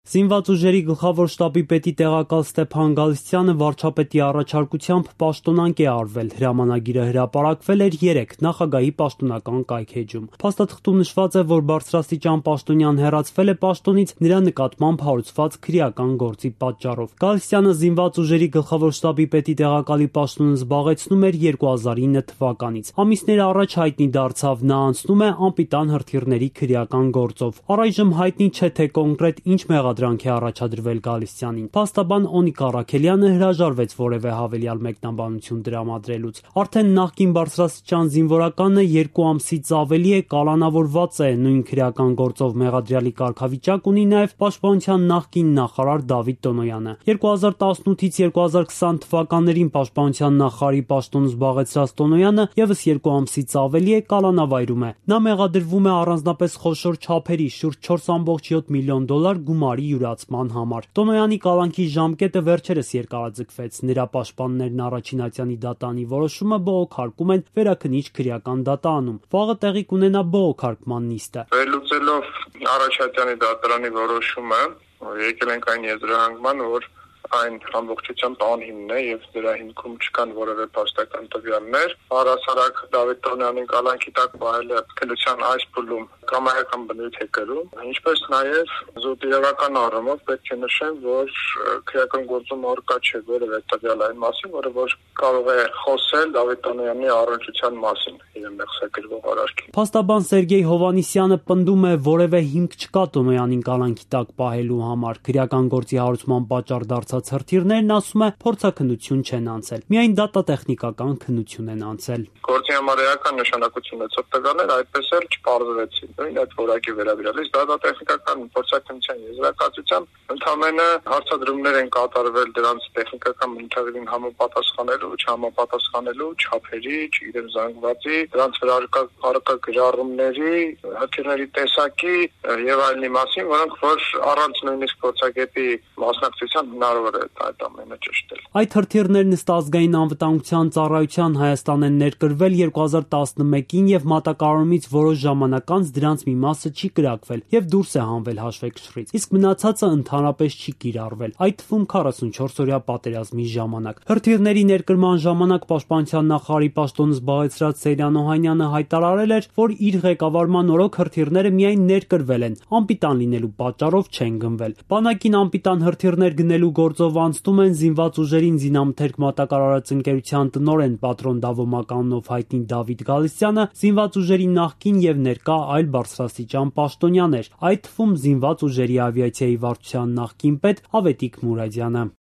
Զինված ուժերի գլխավոր շտաբի պետի տեղակալ Ստեփան Գալստյանը վարչապետի առաջարկությամբ պաշտոնանկ է արվել։ Հրամանագիրը հրապարակվել էր 3 նախագահի պաշտոնական կայքէջում։ Փաստաթղթում նշված է, որ բարձրաստիճան պաշտոնյան հեռացվել է պաշտոնից նրա նկատմամբ հարուցված քրեական գործի պատճառով։ Գալստյանը զինված ուժերի գլխավոր շտաբի պետի տեղակալի պաշտոնը զբաղեցնում էր 2009 թվականից։ Ամիսներ առաջ հայտնի դարձավ, նա անցնում է անպիտան հրթիռների քրեական գործով։ Առայժմ հայտնի չէ, թե կոնկրետ ինչ մեղադրանք է առաջադրվել Գալստյանին։ Փաստաբան Օնիկ Առաքելյանը հրաժարվեց որևէ հավելյալ մեկնաբանություն տրամադրելուց։ Արդեն նախկին բարձրաստիճան զինվորականը 2 ամսից ավելի է կալանավորված է, նույն քրեական գործով մեղադրյալի կարգավիճակ ունի նաև Պաշտպանության նախկին նախարար Դավիթ Տոնոյանը։ 2018-ից 2020 թվականներին Պաշտպանության նախարարի պաշտոն զբաղեցրած Տոնոյանը եւս 2 ամսից ավելի է կալանավայրում է։ Նա մեղադրվում է առանձնապես խոշոր չափերի շուրջ 4.7 միլիոն դոլար գումարի յուրացման համար։ Տոնոյանի կալանքի ժամկետը վերջերս երկարաձգվեց։ Նրա պաշտպաններն առաջին ատյանի դատանի որոշումը բողոքարկում են Վերաքնիչ քրեական դատարանում։ Վաղը տեղի կունենա բողոքարկման նիստը։ Վերլուծելով առաջատյանի դատարանի որոշումը, եկել ենք այն եզրահանգման, որ այն ամբողջությամբ անհիմն է եւ դրա հիմքում չկան որևէ փաստական տվյալներ։ Առհասարակ Դավիթ Տոնոյանին կալանքի տակ պահելը քննության այս փուլում կամայական բնույթ է կրում, ինչպես նաեւ զուտիրական առումով պետք է նշեմ, որ քրեական գործում առկա չէ որևէ տվյալ այն մասին, որը որ կարող է խոսել Դավիթ Տոնոյանի առնչության մասին իր մեղսակրվող արարքի։ Փաստաբան Սերգեյ Հովանիսյանը պնդում է, որևէ հիմք չկա Տոնոյանին կալանքի տակ պահելու համար։ Քրեական գործի հարուցման պատճառ դարձած հրթիռներն, ասում է, փորձաքննություն չեն անցել։ Միայն դատատեխնիկական քննություն են անցել։ Գործի համար էական նշանակություն ունեցող տվյալներ այդպես էլ չպարզվեցին։ Նույն այդ որակի վերաբերյալից դատատեխնիկական փորձաքննության եզրակացությամբ ընդհանրապես հարցադրումներ են կատարվել դրանց տեխնիկական բնութագրին համապատասխանելու, չհամապատասխանելու, չափերի, չգիտեմ զանգվածի, դրանց վրա առկա գրառումների, հրթիռների տեսակի եւ այլնի մասին, որոնք որ առանց նույնիսկ փորձագետի մասնակցության հնարավոր է այդ ամենը ճշտել։ Այդ հրթիռներն ըստ ազգային անվտանգության ծառայության Հայաստան են ներկրվել 2011-ին եւ մատակարարումից որոշ ժամանակ անց դրանց մի մասը չի կրակվել եւ դուրս է հանվել հաշվեկշռից, իսկ մնացածը ընդհանրապես չի կիրառվել, այդ թվում 44-օրյա պատերազմի ժամանակ։ Հրթիռների ներկրման ժամանակ Պաշտպանության նախարարի պաշտոնը զբաղեցրած Սեյրան Օհանյանը հայտարարել էր, որ իր ղեկավարման օրոք հրթիռները միայն ներկրվել են, անպիտան լինելու պատճառով չեն գնվել։ Բանակին անպիտան հրթիռներ գնելու գործով անցնում են զինված ուժերին զինամթերք մատակարարած ընկերության տնօրեն պատրոն Դավոմականնով հայտնի Դավիթ Գալստյանը, զինված ուժերի նախկին եւ ներկա այլ բարձրաստիճան պաշտոնյաներ, այդ թվում զինված ուժերի ավիացիայի վարչության նախկին պետ Ավետիք Մուրադյանը։